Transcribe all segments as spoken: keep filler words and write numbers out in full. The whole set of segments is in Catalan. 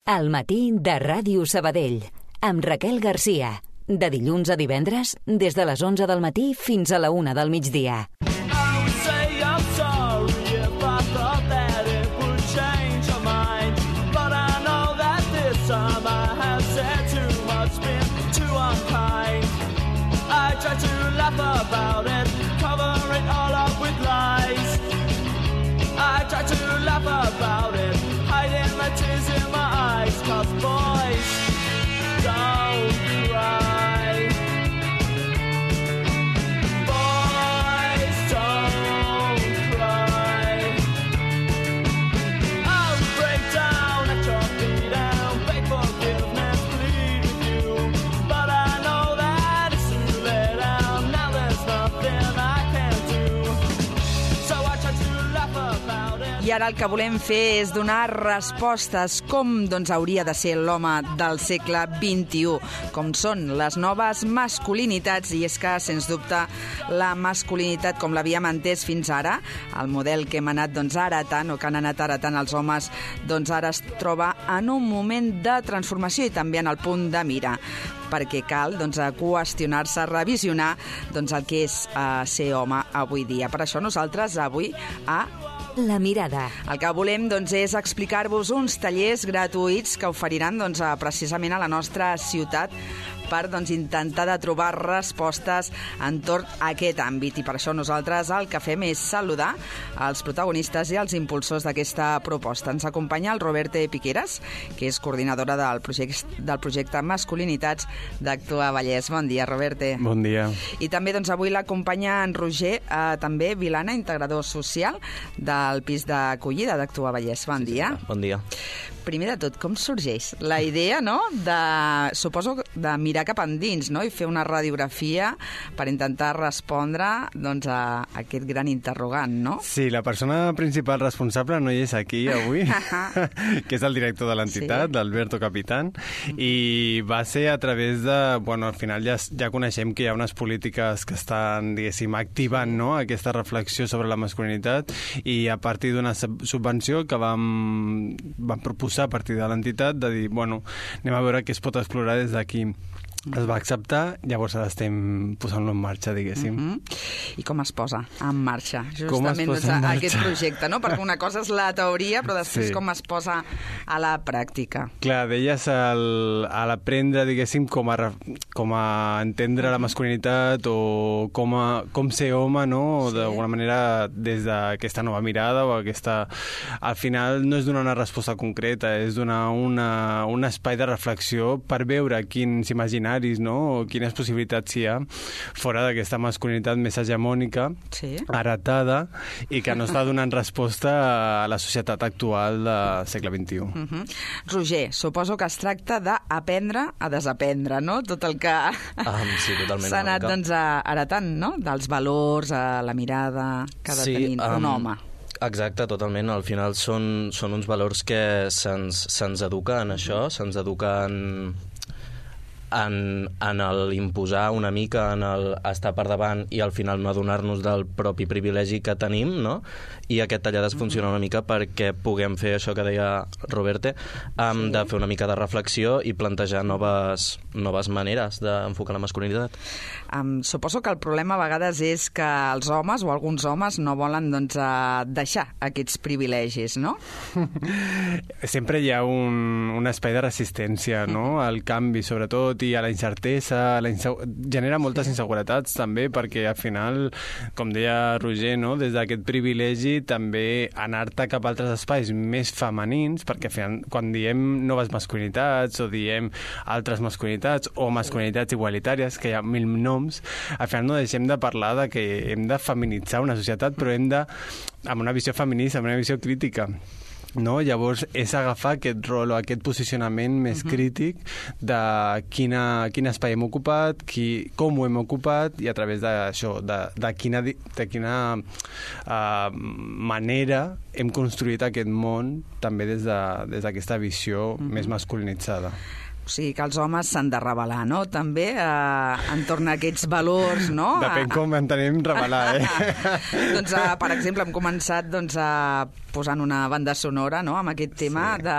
Al matí de Ràdio Sabadell, amb Raquel Garcia. De dilluns a divendres, des de les onze del matí fins a la una del migdia. I ara el que volem fer és donar respostes com doncs, hauria de ser l'home del segle vint-i-u, com són les noves masculinitats, i és que, sens dubte, la masculinitat com l'havíem entès fins ara, el model que hem anat doncs, heretant o que han anat heretant els homes, doncs ara es troba en un moment de transformació i també en el punt de mira, perquè cal doncs, qüestionar-se, revisionar doncs, el que és uh, ser home avui dia. Per això nosaltres avui a La Mirada. El que volem doncs, és explicar-vos uns tallers gratuïts que oferiran doncs, precisament a la nostra ciutat per doncs, intentar de trobar respostes entorn a aquest àmbit. I per això nosaltres el que fem és saludar els protagonistes i els impulsors d'aquesta proposta. Ens acompanya el Roberte Piqueras, que és coordinadora del projecte, del projecte Masculinitats d'Actua Vallès. Bon dia, Roberte. Bon dia. I també doncs, avui l'acompanya en Roger, eh, també Vilana, integrador social del pis d'acollida d'Actua Vallès. Bon sí, dia. Sí, bon dia. Primer de tot, com sorgeix la idea, no?, de, suposo, de mirar cap endins, no?, i fer una radiografia per intentar respondre doncs, a aquest gran interrogant, no? Sí, la persona principal responsable no hi és aquí avui, que és el director de l'entitat, sí. Alberto Capitán, i va ser a través de... Bueno, al final ja, ja coneixem que hi ha unes polítiques que estan, diguéssim, activant, no?, aquesta reflexió sobre la masculinitat, i a partir d'una subvenció que vam, vam proposar a partir de l'entitat, de dir, bueno, anem a veure què es pot explorar des d'aquí. Es va acceptar, llavors ara estem posant-lo en marxa, diguéssim. Mm-hmm. I com es posa en marxa, com justament, posa en marxa? Aquest projecte, no? Perquè una cosa és la teoria, però després sí. com es posa a la pràctica. Clar, deies el, a l'aprendre, diguéssim, com a, com a entendre la masculinitat o com, a, com ser home, no? Sí. D'alguna manera, des d'aquesta nova mirada o aquesta... Al final no és donar una resposta concreta, és donar una, un espai de reflexió per veure quins imaginaris, no? O quines possibilitats hi ha fora d'aquesta masculinitat més hegemònica, sí. heretada, i que no està donant resposta a la societat actual del segle vint-i-u. Uh-huh. Roger, suposo que es tracta d'aprendre a desaprendre, no? Tot el que um, sí, s'ha anat doncs, heretant, no? Dels valors, a la mirada que ha de sí, tenir um... un home. Exacte, totalment. Al final són, són uns valors que se'ns, se'ns educa en això, se'ns educa en... en, en l'imposar una mica, en el estar per davant i al final no adonar-nos del propi privilegi que tenim, no? I aquest taller ha de funcionar una mica perquè puguem fer això que deia Roberte, um, sí. de fer una mica de reflexió i plantejar noves, noves maneres d'enfocar la masculinitat. Um, suposo que el problema a vegades és que els homes o alguns homes no volen doncs, uh, deixar aquests privilegis, no? Sempre hi ha un, un espai de resistència, no? Al canvi, sobretot, i a la incertesa, a la insegu... genera moltes inseguretats també, perquè al final, com deia Roger, no? Des d'aquest privilegi també anar-te cap a altres espais més femenins, perquè final, quan diem noves masculinitats o diem altres masculinitats o masculinitats igualitàries, que hi ha mil noms, al final no deixem de parlar de que hem de feminitzar una societat, però hem de, amb una visió feminista, amb una visió crítica. No? Llavors és agafar aquest rol o aquest posicionament més uh-huh. crític de quina, quin espai hem ocupat, qui, com ho hem ocupat i a través d'això, de, de quina, de quina uh, manera hem construït aquest món també des de, des d'aquesta visió uh-huh. més masculinitzada. O sigui que els homes s'han de revelar, no? També eh, entorn a aquests valors, no? Depèn com entenem revelar, eh? doncs, eh, per exemple, hem començat doncs, a posant una banda sonora, no?, amb aquest tema sí. de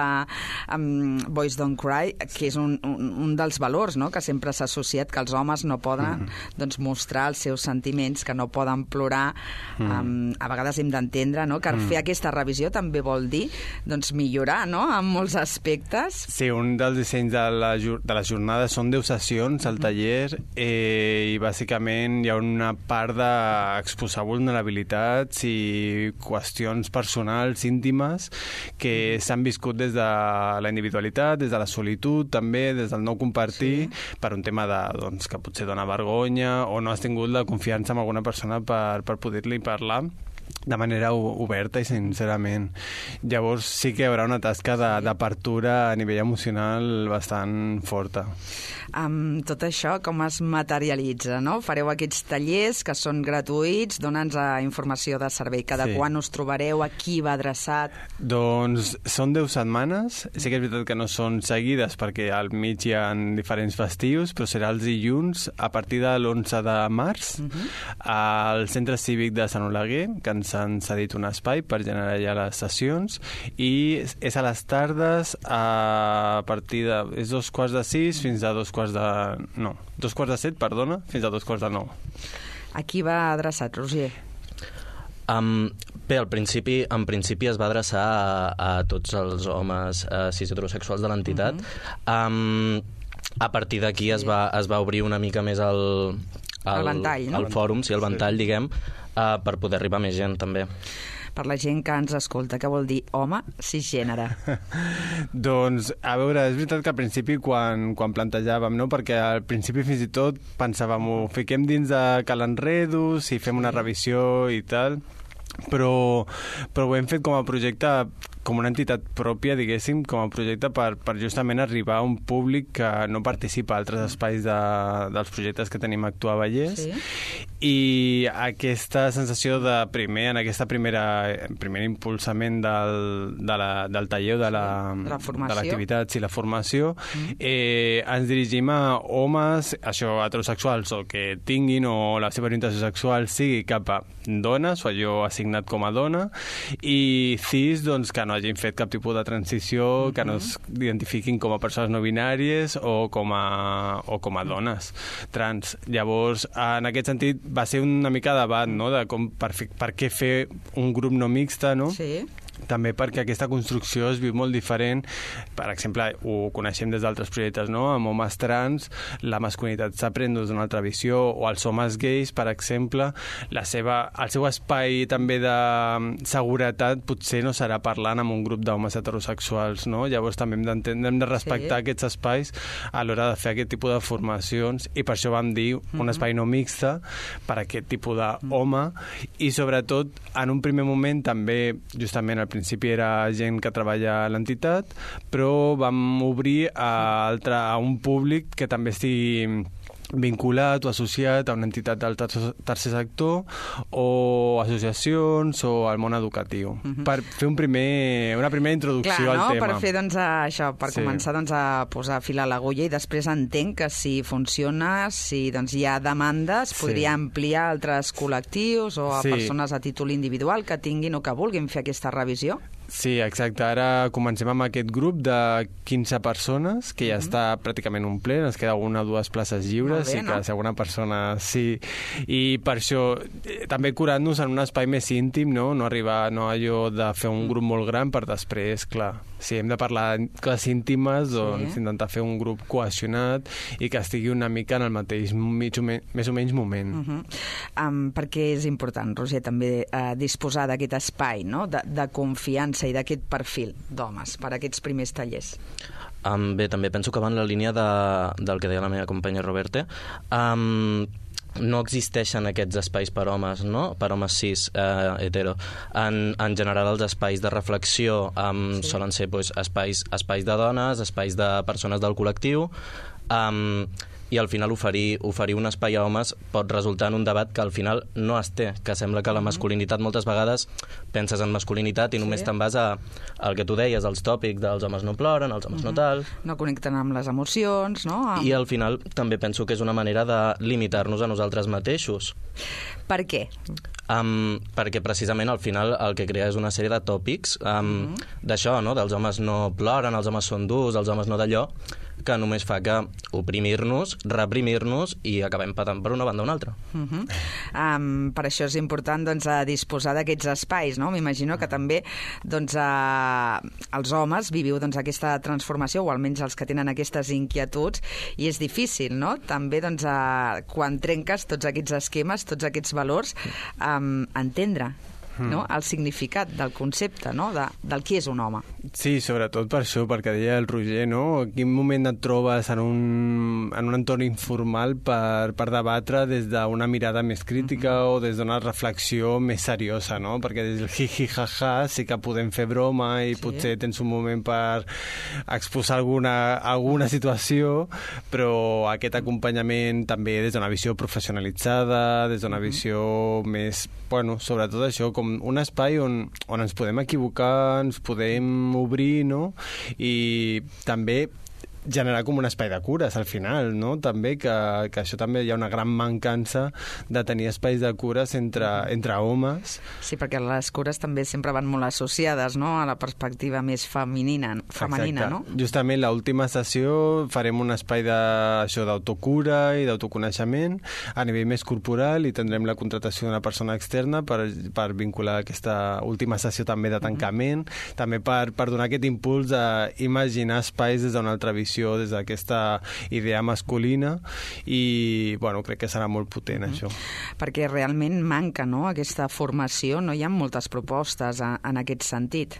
um, Boys Don't Cry, que és un, un, un dels valors, no?, que sempre s'ha associat que els homes no poden mm. doncs, mostrar els seus sentiments, que no poden plorar. Mm. Um, a vegades hem d'entendre, no?, que mm. fer aquesta revisió també vol dir doncs, millorar, no?, en molts aspectes. Sí, un dels dissenys de, la, de les jornades són deu sessions al taller eh, i bàsicament hi ha una part d'exposar vulnerabilitats i qüestions personals íntimes que s'han viscut des de la individualitat, des de la solitud, també des del no compartir, sí. per un tema de, doncs, que potser dona vergonya o no has tingut la confiança amb alguna persona per, per poder-li parlar de manera oberta i sincerament. Llavors sí que hi haurà una tasca d'apertura a nivell emocional bastant forta. Amb tot això, com es materialitza, no? Fareu aquests tallers que són gratuïts, dona'ns informació de servei. Cada sí. quan us trobareu, a qui va adreçat? Doncs són deu setmanes. Sí que és veritat que no són seguides perquè al mig hi ha diferents festius, però serà els dilluns a partir de l'onze de març uh-huh. al Centre Cívic de Sant Oleguer, que ens han cedit un espai per generar ja les sessions, i és a les tardes a partir de... és dos quarts de sis fins a dos quarts de... no, dos quarts de set, perdona, fins a dos quarts de nou. A qui va adreçat, Roger? Um, bé, al principi, en principi es va adreçar a, a tots els homes uh, cis heterosexuals de l'entitat. Uh-huh. um, a partir d'aquí sí. es, va, es va obrir una mica més el... el, el ventall, no? El fòrum, sí, el ventall, sí. diguem, uh, per poder arribar a més gent, també. Per la gent que ens escolta, què vol dir home cisgènere? Doncs, a veure, és veritat que al principi quan, quan plantejàvem, no? Perquè al principi fins i tot pensàvem, ho fiquem dins de Cal Enredos i fem una revisió i tal, però, però ho hem fet com a projecte, com una entitat pròpia, diguéssim, com a projecte per, per justament arribar a un públic que no participa a altres espais de, dels projectes que tenim a Actuar Vallès. Sí. I aquesta sensació de primer, en aquesta primera primer impulsament del, de la, del taller de la, de l'activitat i la formació, mm. eh, ens dirigim a homes, això, heterosexuals, o que tinguin o la seva orientació sexual sigui cap a dones, o allò assignat com a dona, i cis, doncs, que no hagin fet cap tipus de transició, mm-hmm. que no es identifiquin com a persones no binàries o com a, o com a dones trans. Llavors, en aquest sentit, va ser una mica debat, no?, de com, per, per què fer un grup no mixte, no? Sí. També perquè aquesta construcció es viu molt diferent. Per exemple, ho coneixem des d'altres projectes, no? Amb homes trans, la masculinitat s'aprèn d'una altra visió, o els homes gais, per exemple, la seva, el seu espai també de seguretat potser no serà parlant amb un grup d'homes heterosexuals, no? Llavors també hem d'entendre, hem de respectar sí. aquests espais a l'hora de fer aquest tipus de formacions, i per això vam dir mm-hmm. un espai no mixte per a aquest tipus d'home, i sobretot en un primer moment també justament al principi era gent que treballa a l'entitat, però vam obrir a, altre, a un públic que també estigui vinculat o associat a una entitat del tercer sector o associacions o al món educatiu, uh-huh. per fer un primer, una primera introducció Clar, no? al tema. Per fer, doncs, això, per sí. començar doncs, a posar fil a l'agulla, i després entenc que si funciona, si doncs, hi ha demandes, sí. podria ampliar a altres col·lectius o a sí. persones a títol individual que tinguin o que vulguin fer aquesta revisió. Sí, exacte. Ara comencem amb aquest grup de quinze persones, que ja mm-hmm. està pràcticament un ple, ens queda una o dues places lliures, bé, i que no? si alguna persona... Sí, i per això també curant-nos en un espai més íntim, no? No arribar no allò de fer un grup molt gran per després, clar, si hem de parlar de coses íntimes, doncs sí. intentar fer un grup cohesionat i que estigui una mica en el mateix mig o me, més o menys moment. Uh-huh. um, perquè és important, Roger, també uh, disposar d'aquest espai, no? de, de confiança i d'aquest perfil d'homes per a aquests primers tallers. Um, bé, també penso que va en la línia de, del que deia la meva companya Roberte. Um, no existeixen aquests espais per homes, no? Per homes cis, eh, hetero. En, en general, els espais de reflexió um, sí. solen ser pues, espais, espais de dones, espais de persones del col·lectiu, um, i al final oferir, oferir un espai a homes pot resultar en un debat que al final no es té, que sembla que la masculinitat moltes vegades penses en masculinitat i només sí. te'n vas a, al que tu deies, els tòpics dels homes no ploren, els homes mm-hmm. no tal... No connecten amb les emocions, no? Amb... I al final també penso que és una manera de limitar-nos a nosaltres mateixos. Per què? Um, perquè precisament al final el que crea és una sèrie de tòpics um, mm-hmm. d'això, no? Dels homes no ploren, els homes són durs, els homes no d'allò, que només fa que oprimir-nos, reprimir-nos i acabem patant per una banda o una altra. Uh-huh. Um, per això és important doncs, a disposar d'aquests espais, no? M'imagino que també doncs, a... els homes viviu doncs, aquesta transformació, o almenys els que tenen aquestes inquietuds, i és difícil, no? També doncs, a... quan trenques tots aquests esquemes, tots aquests valors, um, entendre no? el significat del concepte, no? de, del qui és un home. Sí, sobretot per això, perquè deia el Roger, no? En quin moment et trobes en un, en un entorn informal per, per debatre des d'una mirada més crítica mm-hmm. o des d'una reflexió més seriosa, no? Perquè des del hi-hi-ha-ha sí que podem fer broma i sí. potser tens un moment per exposar alguna, alguna situació, però aquest acompanyament també des d'una visió professionalitzada, des d'una mm-hmm. visió més, bueno, sobretot això, com un espai on, on ens podem equivocar, ens podem obrir, no? I també generar com un espai de cures al final, no? També que, que això també hi ha una gran mancança de tenir espais de cures entre, entre homes. Sí, perquè les cures també sempre van molt associades, no? A la perspectiva més femenina, femenina, no? Justament l'última sessió farem un espai d'autocura i d'autoconeixement a nivell més corporal i tindrem la contratació d'una persona externa per, per vincular aquesta última sessió també de tancament, mm-hmm. també per, per donar aquest impuls d'imaginar espais des d'una altra visió, des d'aquesta idea masculina i, bueno, crec que serà molt potent, mm-hmm. això. Perquè realment manca, no?, aquesta formació, no hi ha moltes propostes en, en aquest sentit.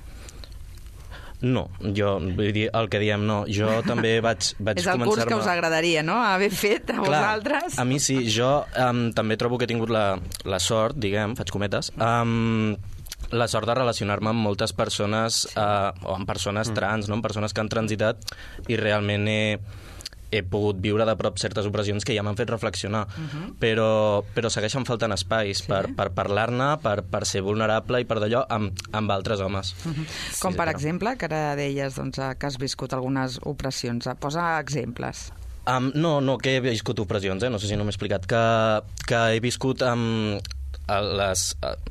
No, jo, vull dir, el que diem, no. Jo també vaig, vaig començar-me... És el curs que us agradaria, no?, haver fet a Clar, vosaltres. A mi sí, jo um, també trobo que he tingut la, la sort, diguem, faig cometes, um, la sort de relacionar-me amb moltes persones, sí. uh, o amb persones trans, no? Amb persones que han transitat, i realment he, he pogut viure de prop certes opressions que ja m'han fet reflexionar. Uh-huh. però, però segueixen faltant espais sí. per, per parlar-ne, per, per ser vulnerable i per d'allò amb, amb altres homes. Uh-huh. Com sí, per però... exemple, que ara deies doncs, que has viscut algunes opressions. Posa exemples. Um, no, no, que he viscut opressions, eh? No sé si no m'he explicat. Que, que he viscut... Um, les,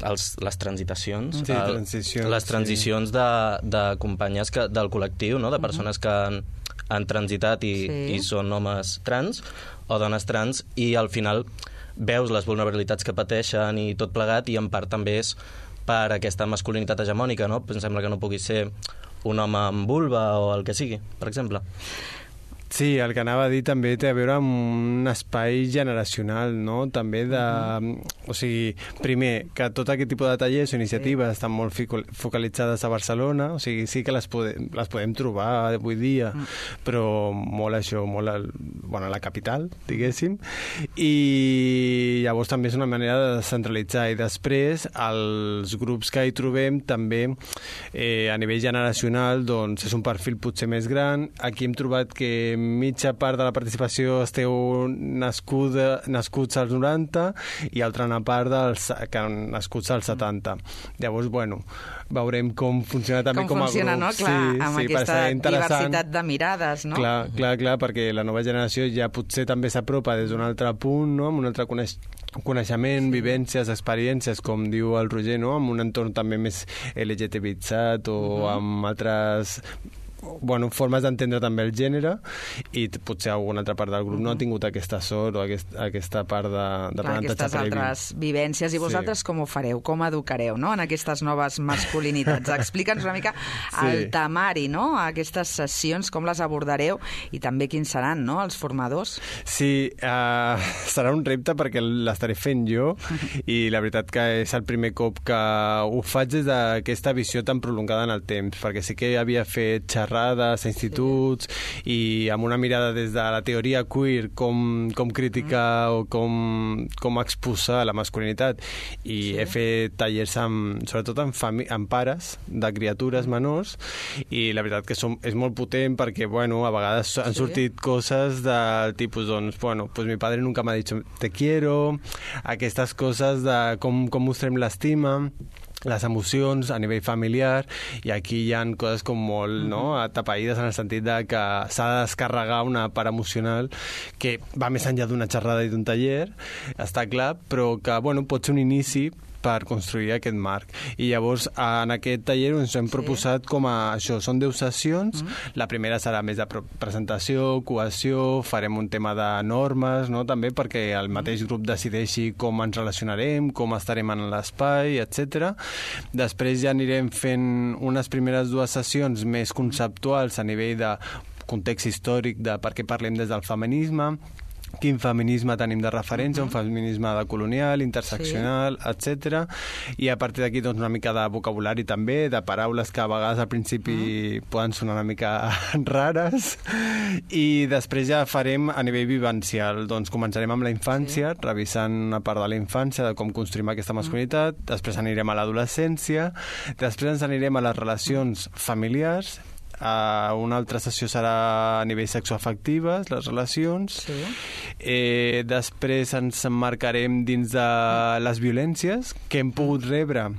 els, les transitacions, sí, el, transicions les transicions sí. de, de companyes que, del col·lectiu, no? De persones que han, han transitat i, sí. i són homes trans o dones trans, i al final veus les vulnerabilitats que pateixen i tot plegat, i en part també és per aquesta masculinitat hegemònica, no? Em sembla que no pugui ser un home amb vulva o el que sigui, per exemple. Sí, el que anava a dir també té a veure amb un espai generacional, no? També de... O sigui, primer, que tot aquest tipus de tallers o iniciatives sí. estan molt focalitzades a Barcelona, o sigui, sí que les podem, les podem trobar avui dia, mm. però molt això, molt al, bueno, a la capital, diguéssim, i llavors també és una manera de descentralitzar, i després els grups que hi trobem també eh, a nivell generacional doncs és un perfil potser més gran. Aquí hem trobat que mitja part de la participació esteu nascuda, nascuts als noranta i altra part dels que han nascuts als setanta. Llavors, bueno, veurem com funciona també com, com a funciona, grup. No? Clar, sí, amb sí, aquesta diversitat de mirades, no? Clar, clar, clar, perquè la nova generació ja potser també s'apropa des d'un altre punt, no? Amb un altre coneix coneixement, sí. vivències, experiències, com diu el Roger, no? Amb un entorn també més L G T B-itzat o uh-huh. amb altres... bueno, formes d'entendre també el gènere, i potser alguna altra part del grup no ha tingut aquesta sort o aquest, aquesta part de, de Clar, aquestes previ. Altres vivències. I vosaltres sí. com ho fareu? Com educareu, no?, en aquestes noves masculinitats? Explica'ns una mica sí. el temari, no?, aquestes sessions, com les abordareu i també quins seran, no?, els formadors. Sí, uh, serà un repte perquè l'estaré fent jo i la veritat que és el primer cop que ho faig des d'aquesta visió tan prolongada en el temps, perquè sí que havia fet xerrades xerrades a instituts i amb una mirada des de la teoria queer com, com criticar o com, com exposar la masculinitat i sí. he fet tallers amb, sobretot amb, fami- amb pares de criatures menors i la veritat que som, és molt potent perquè bueno, a vegades han sortit sí. coses del tipus doncs, bueno, pues mi padre nunca m'ha dit te quiero, aquestes coses de com, com mostrem l'estima, les emocions a nivell familiar, i aquí hi ha coses com molt no, atapeïdes en el sentit de que s'ha de descarregar una part emocional que va més enllà d'una xerrada i d'un taller, està clar, però que bueno, pot ser un inici per construir aquest marc. I llavors, en aquest taller ens hem sí. proposat com a això, són deu sessions, mm. la primera serà més de presentació, cohesió, farem un tema de normes, no? també perquè el mateix grup decideixi com ens relacionarem, com estarem en l'espai, etcètera. Després ja anirem fent unes primeres dues sessions més conceptuals a nivell de context històric de per què parlem des del feminisme, quin feminisme tenim de referència, uh-huh. un feminisme de colonial, interseccional, sí. etcètera. I a partir d'aquí doncs, una mica de vocabulari també, de paraules que a vegades al principi uh-huh. poden sonar una mica rares. I després ja farem a nivell vivencial. Doncs començarem amb la infància, sí. revisant una part de la infància, de com construïm aquesta masculinitat, uh-huh. després anirem a l'adolescència, després ens anirem a les relacions familiars. Uh, una altra sessió serà a nivell sexoafectives, les relacions. Sí. Eh, després ens emmarcarem dins de les violències que hem pogut rebre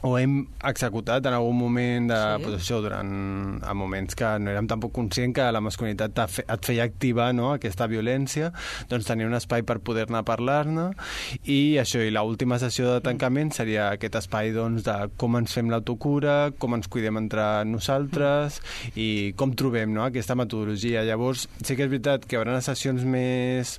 o hem executat en algun moment de, sí. pues això, durant a moments que no érem tampoc conscients que la masculinitat et feia activar no, aquesta violència, doncs tenir un espai per poder-ne parlar-ne i això, i l'última sessió de tancament seria aquest espai doncs, de com ens fem l'autocura, com ens cuidem entre nosaltres i com trobem no, aquesta metodologia. Llavors, sí que és veritat que hi haurà sessions més,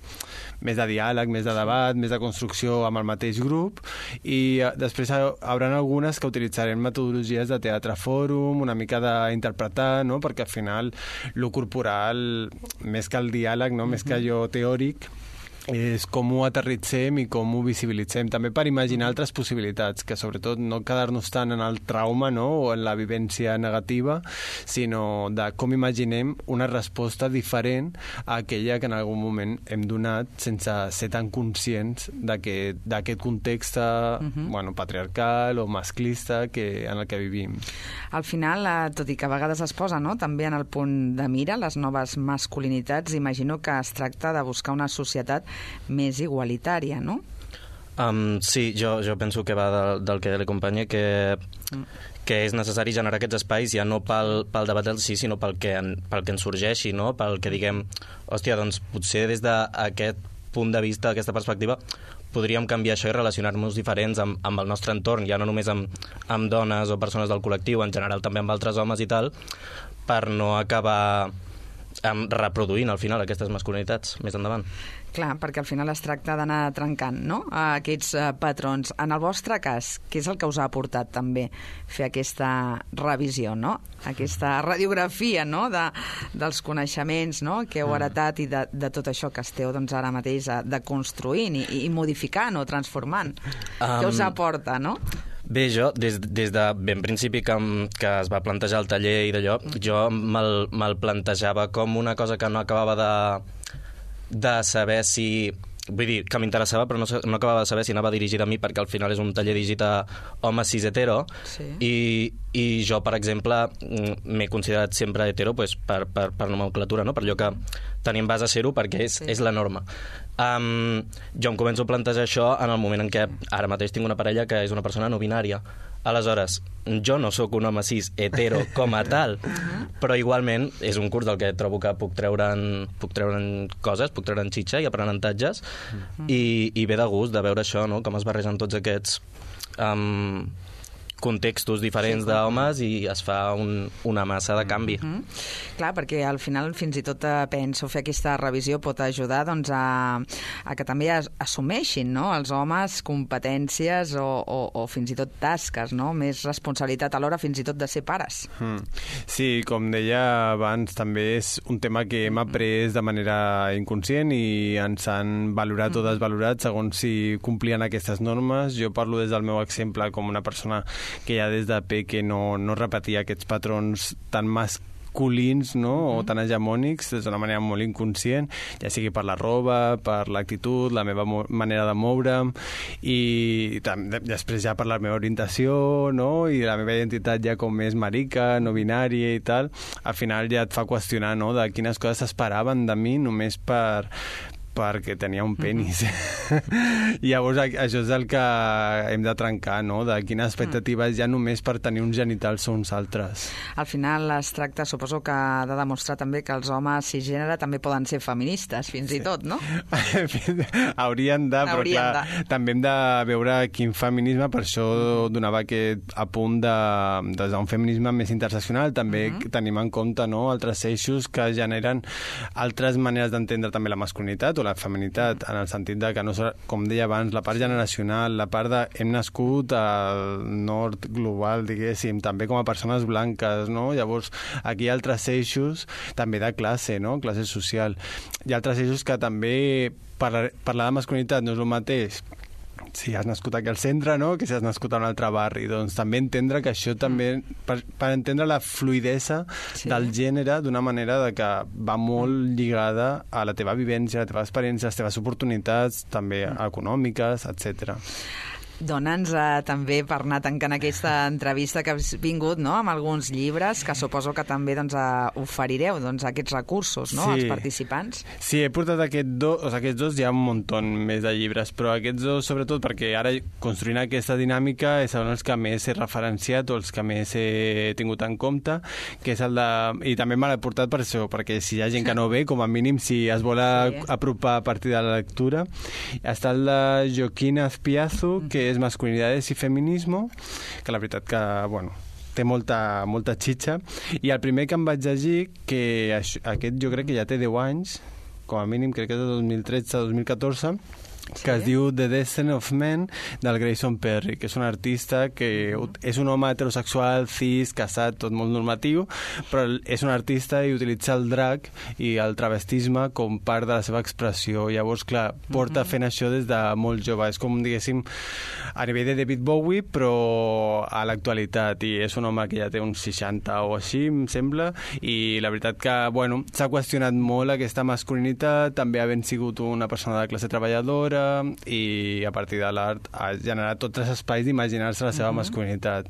més de diàleg, més de debat, més de construcció amb el mateix grup i després hi haurà algunes que utilitzarem metodologies de teatre fòrum, una mica d'interpretar, no? Perquè al final lo corporal, més que el diàleg, no? més que allò teòric, és com ho aterritzem i com ho visibilitzem, també per imaginar altres possibilitats, que sobretot no quedar-nos tant en el trauma no? o en la vivència negativa, sinó de com imaginem una resposta diferent a aquella que en algun moment hem donat sense ser tan conscients d'aquest context uh-huh. bueno, patriarcal o masclista que, en el que vivim. Al final, tot i que a vegades es posa no? també en el punt de mira les noves masculinitats, imagino que es tracta de buscar una societat més igualitària, no? Um, sí, jo, jo penso que va del, del que li acompanya, que, mm. que és necessari generar aquests espais ja no pel, pel debat del sí, sinó pel que, en, pel que ens sorgeixi, no? Pel que diguem, hòstia, doncs potser des d'aquest punt de vista, aquesta perspectiva, podríem canviar això i relacionar-nos diferents amb, amb el nostre entorn, ja no només amb, amb dones o persones del col·lectiu, en general també amb altres homes i tal, per no acabar um, reproduint al final aquestes masculinitats més endavant. Clar, perquè al final es tracta d'anar trencant no? aquests uh, patrons. En el vostre cas, què és el que us ha aportat també fer aquesta revisió, no? Aquesta radiografia no? de, dels coneixements no? que heu heretat i de, de tot això que esteu doncs, ara mateix uh, deconstruint i, i modificant o transformant? Um... Què us aporta, no? Bé, jo, des, des de ben principi que, que es va plantejar el taller i d'allò, jo me'l, me'l plantejava com una cosa que no acabava de de saber si... Vull dir, que m'interessava, però no, no acabava de saber si anava dirigida a mi, perquè al final és un taller dirigit a homes cis hetero, sí. i, i jo, per exemple, m'he considerat sempre hetero pues, per, per, per nomenclatura, no? Per allò que tenim base a ser-ho, perquè és, sí. és la norma. Um, jo em començo a plantejar això en el moment en què ara mateix tinc una parella que és una persona no binària. Aleshores, jo no sóc un home cis hetero com a tal, però igualment és un curs del que trobo que puc treure'n, puc treure'n coses, puc treure'n xitxa i aprenentatges, i, i ve de gust de veure això, no? Com es barregen tots aquests um, contextos diferents sí, d'homes i es fa un, una massa de canvi. Mm-hmm. Clar, perquè al final fins i tot eh, penso fer aquesta revisió pot ajudar doncs, a, a que també as, assumeixin no? els homes competències o, o, o fins i tot tasques, no? Més responsabilitat alhora fins i tot de ser pares. Mm. Sí, com deia abans, també és un tema que hem après de manera inconscient i ens han valorat mm. o desvalorat segons si complien aquestes normes. Jo parlo des del meu exemple com una persona que ja des de peque no, no repetia aquests patrons tan mas masculins, no? Mm-hmm. O tan hegemònics, d'una manera molt inconscient, ja sigui per la roba, per l'actitud, la meva mo- manera de moure'm, i també, després ja per la meva orientació, no? I la meva identitat ja com més marica, no binària i tal, al final ja et fa qüestionar, no?, de quines coses s'esperaven de mi només per perquè tenia un penis. Mm-hmm. I llavors això és el que hem de trencar, no?, de quines expectatives hi ha només per tenir uns genitals o uns altres. Al final es tracta, suposo que ha de demostrar també que els homes cisgènere també poden ser feministes, fins sí. i tot, no? Haurien de, però Haurien clar, de. també hem de veure quin feminisme, per això donava aquest apunt de, de un feminisme més interseccional, també mm-hmm. tenim en compte, no?, altres eixos que generen altres maneres d'entendre també la masculinitat o la feminitat, en el sentit de que, no, com deia abans, la part generacional, la part de hem nascut al nord global, diguéssim, també com a persones blanques, no? Llavors, aquí hi ha altres eixos també de classe, no?, classe social. Hi ha altres eixos que també parlar, parlar de masculinitat no és el mateix si has nascut aquí al centre, no?, que si has nascut a un altre barri. Doncs també entendre que això també, per, per entendre la fluidesa sí. del gènere d'una manera de que va molt lligada a la teva vivència, a la teva experiència, a les teves oportunitats, també econòmiques, etcètera. Dona'ns eh, també, per anar tancant aquesta entrevista que has vingut, no?, amb alguns llibres que suposo que també doncs, eh, oferireu doncs, aquests recursos, no?, sí. als participants. Sí, he portat aquest do, o sigui, aquests dos, hi ha un munt més de llibres, però aquests dos sobretot perquè ara construint aquesta dinàmica són els que més he referenciat o els que més he tingut en compte, que és el de... I també me l'he portat per això, perquè si hi ha gent que no ve, com a mínim si es vol sí. apropar a partir de la lectura, està el de Joaquín Azpiazu, que és masculinidades i feminismo, que la veritat que, bueno, té molta, molta xitxa. I el primer que em vaig llegir, que això, aquest jo crec que ja té deu anys, com a mínim crec que és de dos mil tretze dos mil catorze, sí. que es diu The Destiny of Men, del Grayson Perry, que és un artista que és un home heterosexual, cis, casat, tot molt normatiu, però és un artista i utilitza el drag i el travestisme com part de la seva expressió. Llavors, clar, porta fent això des de molt jove. És com, diguéssim, a nivell de David Bowie, però a l'actualitat. I és un home que ja té uns seixanta o així, em sembla, i la veritat que, bueno, s'ha qüestionat molt aquesta masculinitat, també havent sigut una persona de classe treballadora, i a partir de l'art ha generat tots els espais d'imaginar-se la seva uh-huh. masculinitat.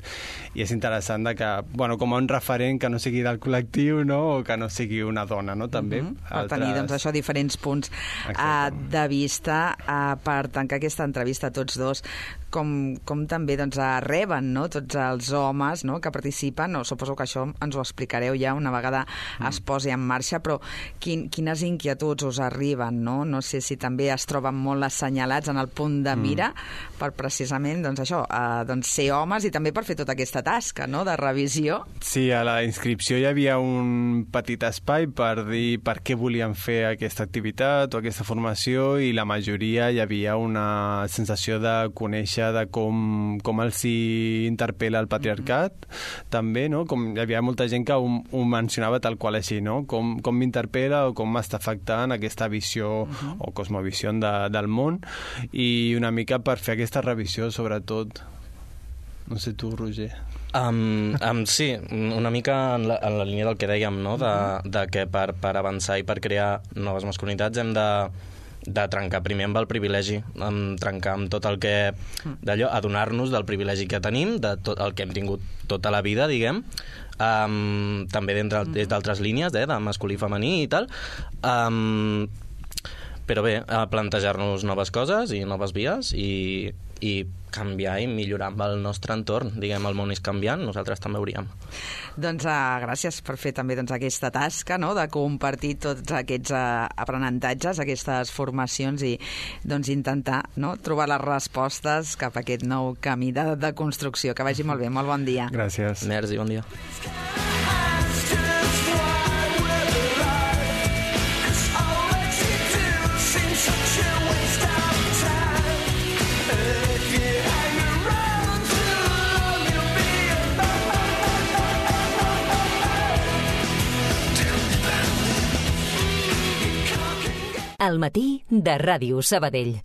I és interessant de que, bueno, com a un referent que no sigui del col·lectiu, no?, o que no sigui una dona, no?, també. Uh-huh. Per altres... tenir, doncs, això, diferents punts uh, de vista uh, per tancar aquesta entrevista a tots dos. Com, com també doncs, reben, no?, tots els homes, no?, que participen, no? Suposo que això ens ho explicareu ja una vegada mm. es posi en marxa, però quin, quines inquietuds us arriben, no? No sé si també es troben molt assenyalats en el punt de mira mm. per precisament doncs, això, eh, doncs, ser homes i també per fer tota aquesta tasca, no?, de revisió. Sí, a la inscripció hi havia un petit espai per dir per què volien fer aquesta activitat o aquesta formació, i la majoria hi havia una sensació de conèixer de com, com els hi interpel·la el patriarcat, mm-hmm. també, no? Com hi havia molta gent que ho, ho mencionava tal qual així, no? Com, com m'interpel·la o com m'està afectant aquesta visió mm-hmm. o cosmovisió de, del món, i una mica per fer aquesta revisió, sobretot. No sé tu, Roger. Um, um, sí, una mica en la, en la línia del que dèiem, no? De, de que per, per avançar i per crear noves masculinitats hem de de trencar primer amb el privilegi, amb trencar amb tot el que... d'allò, adonar-nos del privilegi que tenim, de tot el que hem tingut tota la vida, diguem, um, també des d'altres línies, eh, de masculí i femení i tal, um, però bé, a plantejar-nos noves coses i noves vies i, i canviar i millorar amb el nostre entorn. Diguem, el món és canviant, nosaltres també hauríem. Doncs uh, gràcies per fer també doncs, aquesta tasca, no?, de compartir tots aquests uh, aprenentatges, aquestes formacions i doncs, intentar, no?, trobar les respostes cap a aquest nou camí de, de construcció. Que vagi molt bé, molt bon dia. Gràcies. Merci, bon dia. Al matí de Ràdio Sabadell.